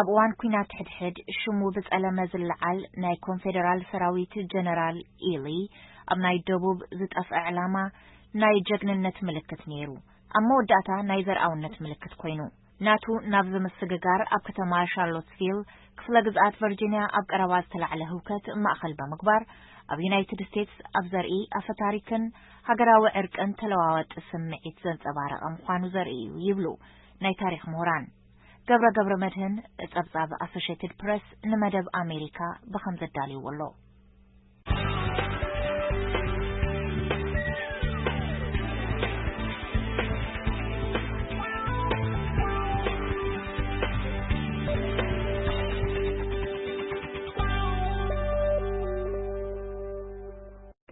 ኣብ እዋን ኲናት ሕድሕድ ሽሙ ብጸለመ ዝለዓል ናይ ኮንፌደራል ሰራዊት ጀነራል ኢሊ፣ ኣብ ናይ ደቡብ ዝጠፍአ ዕላማ ናይ ጀግንነት ምልክት ነይሩ። ኣብ መወዳእታ ናይ ዘርኣውነት ምልክት ኮይኑ። ናቱ ናብ ዝምስግጋር ኣብ ከተማ ሻርሎትስቪል ክፍለ ግዝኣት ቨርጂንያ ኣብ ቀረባ ዝተላዕለ ህውከት ማእኸል ብምግባር፣ ኣብ ዩናይትድ ስቴትስ ኣብ ዘርኢ ኣፈ ታሪክን ሃገራዊ ዕርቅን ተለዋዋጢ ስምዒት ዘንጸባረቐ ምዃኑ ዘርኢ እዩ ይብሉ ናይ ታሪኽ ምሁራን። ገብረ ገብረ መድህን ጸብጻብ ኣሶሽየትድ ፕረስ ንመደብ ኣሜሪካ ብኸም ዘዳልይዎ ኣሎ።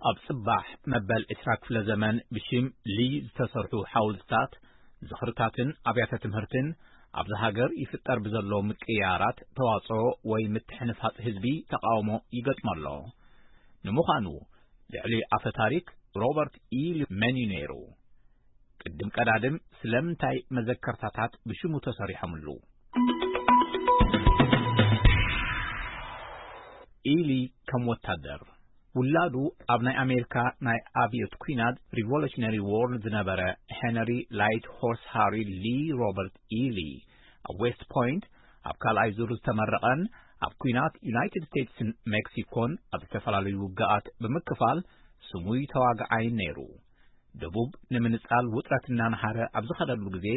ኣብ ጽባሕ መበል ዕስራ ክፍለ ዘመን ብሽም ሊ ዝተሰርሑ ሓወልትታት፣ ዝኽርታትን ኣብያተ ትምህርትን ኣብዚ ሃገር ይፍጠር ብዘሎ ምቅያራት ተዋጽኦ ወይ ምትሕንፋጽ ህዝቢ ተቃውሞ ይገጥሞ ኣሎ። ንምዃኑ፣ ልዕሊ ኣፈ ታሪክ ሮበርት ኢ ሊ መን እዩ ነይሩ? ቅድም ቀዳድም ስለምንታይ መዘከርታታት ብሽሙ ተሰሪሖምሉ? ኢሊ ከም ወታደር። ውላዱ ኣብ ናይ ኣሜሪካ ናይ ኣብዮት ኲናት፣ ሪቮሉሽነሪ ዎር፣ ዝነበረ ሄነሪ ላይት ሆርስ ሃሪ ሊ ሮበርት ኢሊ ኣብ ዌስት ፖይንት ኣብ ካልኣይ ዙር ዝተመረቐን ኣብ ኲናት ዩናይትድ ስቴትስን ሜክሲኮን ኣብ ዝተፈላለዩ ውግኣት ብምክፋል ስሙይ ተዋግዓይን ነይሩ። ደቡብ ንምንጻል ውጥረት እናነሃረ ኣብ ዝኸደሉ ግዜ፣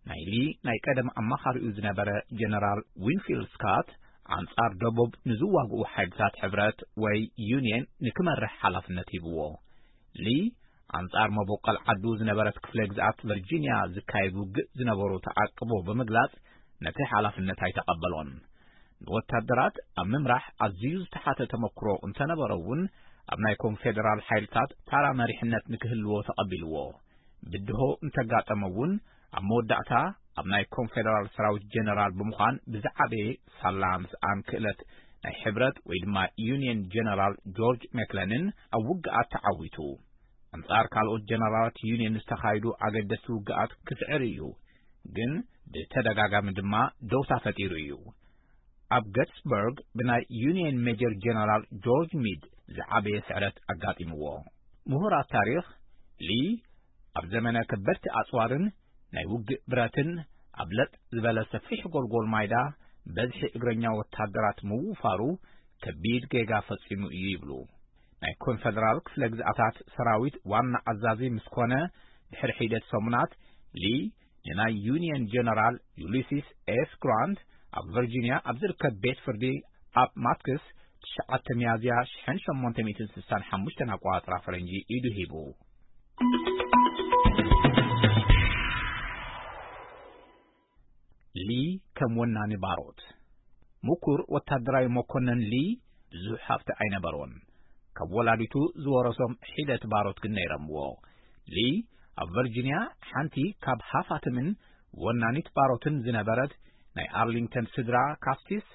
ናይ ሊ ናይ ቀደም ኣማኻሪኡ ዝነበረ ጀነራል ዊንፊልድ ስካት፣ ኣንጻር ደቡብ ንዝዋግኡ ሓይልታት ሕብረት ወይ ዩንየን ንክመርሕ ሓላፍነት ሂብዎ። ሊ ኣንጻር መበቆል ዓዱ ዝነበረት ክፍለ ግዝኣት ቨርጂንያ ዝካየድ ውግእ ዝነበሩ ተዓቅቦ ብምግላጽ፣ ነቲ ሓላፍነት ኣይተቐበሎን። ንወታደራት ኣብ ምምራሕ ኣዝዩ ዝተሓተ ተመክሮ እንተነበሮ እውን፣ ኣብ ናይ ኮንፌደራል ሓይልታት ታራ መሪሕነት ንክህልዎ ተቐቢልዎ። ብድሆ እንተጋጠመ እውን፣ ኣብ መወዳእታ ኣብ ናይ ኮንፌደራል ሰራዊት ጀነራል ብምዃን ብዝዓበየ ሳላ ምስኣን ክእለት ናይ ሕብረት ወይ ድማ ዩንየን ጀነራል ጆርጅ ሜክለንን ኣብ ውግኣት ተዓዊቱ። ኣንጻር ካልኦት ጀነራላት ዩንየን ዝተኻየዱ ኣገደስቲ ውግኣት ክስዕር እዩ፣ ግን ብተደጋጋሚ ድማ ደውታ ፈጢሩ እዩ። ኣብ ገትስበርግ ብናይ ዩንየን ሜጀር ጀነራል ጆርጅ ሚድ ዝዓበየ ስዕረት ኣጋጢምዎ። ምሁራት ታሪኽ፣ ሊ ኣብ ዘመነ ከበድቲ ኣጽዋርን ናይ ውግእ ብረትን ኣብ ለጥ ዝበለ ሰፊሕ ጎልጎል ማይዳ በዝሒ እግረኛ ወታደራት ምውፋሩ ከቢድ ጌጋ ፈጺሙ እዩ ይብሉ። ናይ ኮንፈደራል ክፍለ ግዝኣታት ሰራዊት ዋና ኣዛዚ ምስ ኮነ ድሕሪ ሒደት ሰሙናት፣ ሊ ንናይ ዩንየን ጀነራል ዩሊሲስ ኤስ ግራንት ኣብ ቨርጂንያ ኣብ ዝርከብ ቤት ፍርዲ ኣብ ማትክስ ትሽዓተ ሚያዝያ ሽሕን ሸሞንተ ሚእትን ስሳን ሓሙሽተን ኣቆጻጽራ ፈረንጂ ኢዱ ሂቡ። ሊ ከም ወናኒ ባሮት። ምኩር ወታደራዊ መኮነን ሊ ብዙሕ ሃብቲ ኣይነበሮን። ካብ ወላዲቱ ዝወረሶም ሒደት ባሮት ግን ነይረምዎ። ሊ ኣብ ቨርጂንያ ሓንቲ ካብ ሃፋትምን ወናኒት ባሮትን ዝነበረት ናይ ኣርሊንግተን ስድራ ካስቲስ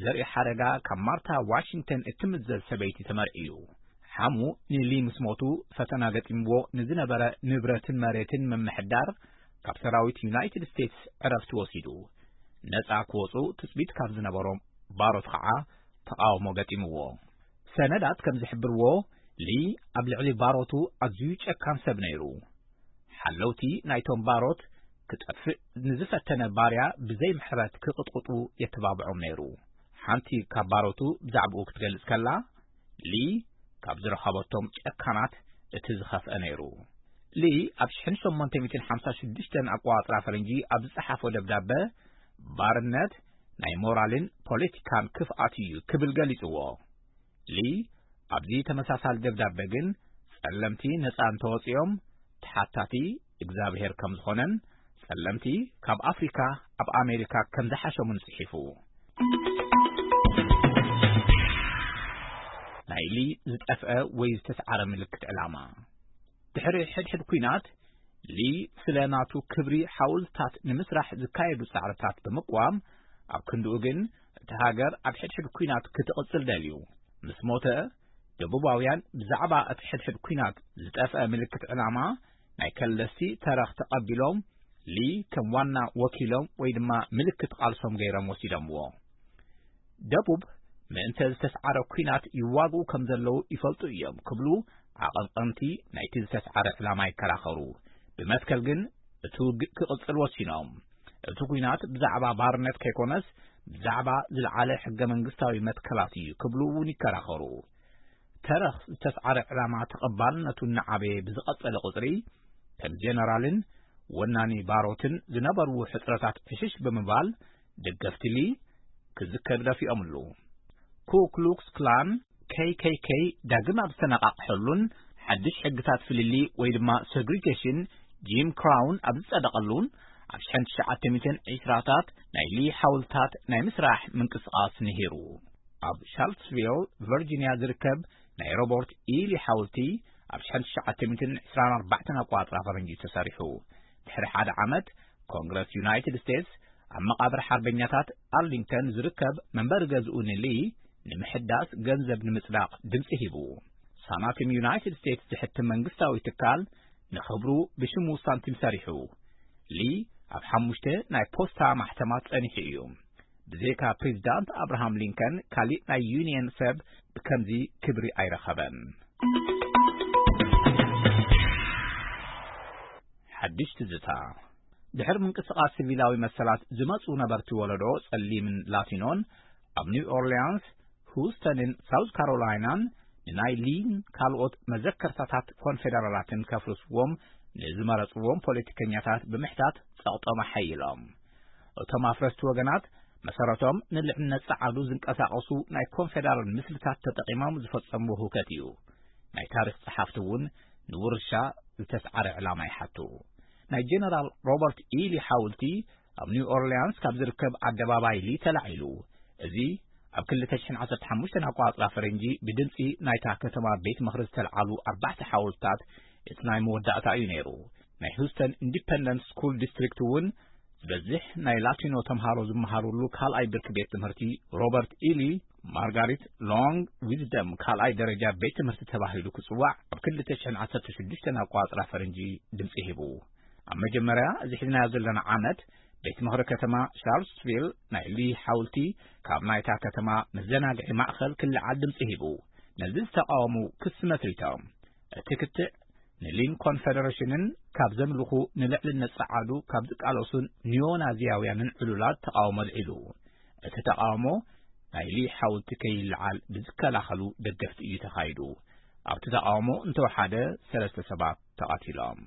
ዘርኢ ሓደጋ ካብ ማርታ ዋሽንግተን እትምዘዝ ሰበይቲ ተመርዕዩ። ሓሙ ንሊ ምስ ሞቱ ፈተና ገጢምዎ ንዝነበረ ንብረትን መሬትን ምምሕዳር ካብ ሰራዊት ዩናይትድ ስቴትስ ዕረፍቲ ወሲዱ። ነጻ ክወጹ ትጽቢት ካብ ዝነበሮም ባሮት ኸዓ ተቓውሞ ገጢምዎ። ሰነዳት ከም ዝሕብርዎ፣ ሊ ኣብ ልዕሊ ባሮቱ ኣዝዩ ጨካን ሰብ ነይሩ። ሓለውቲ ናይቶም ባሮት ክጠፍእ ንዝፈተነ ባርያ ብዘይ ምሕረት ክቕጥቕጡ የተባብዖም ነይሩ። ሓንቲ ካብ ባሮቱ ብዛዕባኡ ክትገልጽ ከላ፣ ሊ ካብ ዝረኸበቶም ጨካናት እቲ ዝኸፍአ ነይሩ። ሊ ኣብ ሽሕን ሸሞንተ ሚእትን ሓምሳ ሽዱሽተን ኣቆጻጽራ ፈረንጂ ኣብ ዝጸሓፎ ደብዳበ፣ ባርነት ናይ ሞራልን ፖለቲካን ክፍኣት እዩ ክብል ገሊጽዎ። ሊ ኣብዚ ተመሳሳሊ ደብዳበ ግን፣ ጸለምቲ ነጻ እንተወጺኦም ተሓታቲ እግዚኣብሔር ከም ዝኾነን፣ ጸለምቲ ካብ ኣፍሪካ ኣብ ኣሜሪካ ከም ዝሓሸሙን ጽሒፉ። ናይ ሊ ዝጠፍአ ወይ ዝተስዓረ ምልክት ዕላማ። ድሕሪ ሕድሕድ ኲናት፣ ሊ ስለ ናቱ ክብሪ ሓውልትታት ንምስራሕ ዝካየዱ ጻዕርታት ብምቅዋም፣ ኣብ ክንድኡ ግን እቲ ሃገር ኣብ ሕድሕድ ኲናት ክትቕጽል ደልዩ። ምስ ሞተ፣ ደቡባውያን ብዛዕባ እቲ ሕድሕድ ኲናት ዝጠፍአ ምልክት ዕላማ ናይ ከለስቲ ተረኽ ተቐቢሎም፣ ሊ ከም ዋና ወኪሎም ወይ ድማ ምልክት ቃልሶም ገይሮም ወሲዶምዎ። ደቡብ ምእንተ ዝተስዓረ ኲናት ይዋግኡ ከም ዘለዉ ይፈልጡ እዮም ክብሉ ኣቐንቐንቲ ናይቲ ዝተስዓረ ዕላማ ይከራኸሩ። ብመትከል ግን እቲ ውግእ ክቕጽል ወሲኖም። እቲ ኲናት ብዛዕባ ባርነት ከይኮነስ ብዛዕባ ዝለዓለ ሕገ መንግስታዊ መትከላት እዩ ክብሉ እውን ይከራኸሩ። ተረኽ ዝተስዓረ ዕላማ ተቐባልነቱ እናዓበየ ብዝቐጸለ ቁጽሪ፣ ከም ጀነራልን ወናኒ ባሮትን ዝነበርዎ ሕጽረታት ዕሽሽ ብምባል፣ ደገፍቲ ሊ ክዝከር ደፊኦምሉ። ኩ ክሉክስ ክላን፣ ኬ ኬ ኬ፣ ዳግም ኣብ ዝተነቓቕሐሉን ሓድሽ ሕግታት ፍልልይ ወይ ድማ ሰግሪጌሽን፣ ጂም ክራውን ኣብ ዝጸደቐሉን ኣብ ሽሕን ትሽዓተ ሚእትን ዕስራታት ናይ ሊ ሓውልታት ናይ ምስራሕ ምንቅስቓስ ነሂሩ። ኣብ ሻርልስቪል ቨርጂንያ ዝርከብ ናይ ሮበርት ኢሊ ሓውልቲ ኣብ ሽሕን ትሽዓተ ሚእትን ዕስራን ኣርባዕተን ኣቆጻጽራ ፈረንጂ ተሰሪሑ። ድሕሪ ሓደ ዓመት፣ ኮንግረስ ዩናይትድ ስቴትስ ኣብ መቓብር ሓርበኛታት ኣርሊንግተን ዝርከብ መንበሪ ገዝኡ ንሊ ንምሕዳስ ገንዘብ ንምጽዳቕ ድምጺ ሂቡ። ሳናቲም ዩናይትድ ስቴትስ ዝሕትም መንግስታዊ ትካል ንኽብሩ ብሽሙ ሳንቲም ሰሪሑ። ሊ ኣብ ሓሙሽተ ናይ ፖስታ ማሕተማት ጸኒሑ እዩ። ብዘይካ ፕሬዚዳንት ኣብርሃም ሊንከን ካሊእ ናይ ዩኒየን ሰብ ብከምዚ ክብሪ ኣይረኸበን። ሓድሽ ትዝታ። ድሕሪ ምንቅስቓስ ሲቪላዊ መሰላት ዝመጹ ነበርቲ ወለዶ ጸሊምን ላቲኖን ኣብ ኒው ኦርሊያንስ፣ ሁስተንን ሳውዝ ካሮላይናን ንናይ ሊን ካልኦት መዘከርታታት ኮንፌደራላትን ከፍርስዎም ንዝመረጽዎም ፖለቲከኛታት ብምሕታት ጸቕጦም ኣሐይሎም። እቶም ኣፍረስቲ ወገናት መሰረቶም ንልዕልነት ጸዓዱ ዝንቀሳቐሱ ናይ ኮንፌደራል ምስልታት ተጠቒሞም ዝፈጸምዎ ህውከት እዩ። ናይ ታሪኽ ጸሓፍቲ እውን ንውርሻ ዝተስዓረ ዕላማ ይሓቱ። ናይ ጀነራል ሮበርት ኢሊ ሓውልቲ ኣብ ኒው ኦርሊያንስ ካብ ዝርከብ ኣደባባይ ሊ ተላዒሉ። እዚ ኣብ ክልተ ሽሕን ዓሰርተ ሓሙሽተን ኣቆጻጽራ ፈረንጂ ብድምጺ ናይታ ከተማ ቤት ምኽሪ ዝተልዓሉ ኣርባዕተ ሓወልትታት እቲ ናይ መወዳእታ እዩ ነይሩ። ናይ ሁስተን ኢንዲፐንደንት ስኩል ዲስትሪክት እውን ዝበዝሕ ናይ ላቲኖ ተምሃሮ ዝመሃሩሉ ካልኣይ ብርኪ ቤት ትምህርቲ ሮበርት ኢሊ ማርጋሪት ሎንግ ዊዝደም ካልኣይ ደረጃ ቤት ትምህርቲ ተባሂሉ ክጽዋዕ ኣብ ክልተ ሽሕን ዓሰርተ ሽዱሽተን ኣቆጻጽራ ፈረንጂ ድምጺ ሂቡ። ኣብ መጀመርያ እዚ ሒዝናዮ ዘለና ዓመት ቤት ምኽሪ ከተማ ሻርልስቪል ናይ ሊ ሓውልቲ ካብ ናይታ ከተማ መዘናግዒ ማእኸል ክልዓል ድምጺ ሂቡ። ነዚ ዝተቃወሙ ክሲ መስሪቶም። እቲ ክትዕ ንሊን ኮንፈደሬሽንን ካብ ዘምልኹ ንልዕልነት ጸዓዱ ካብ ዝቃለሱን ኒዮናዚያውያንን ዕሉላት ተቃውሞ ኣልዒሉ። እቲ ተቃውሞ ናይ ሊ ሓውልቲ ከይልዓል ብዝከላኸሉ ደገፍቲ እዩ ተኻይዱ። ኣብቲ ተቃውሞ እንተወሓደ ሰለስተ ሰባት ተቐቲሎም።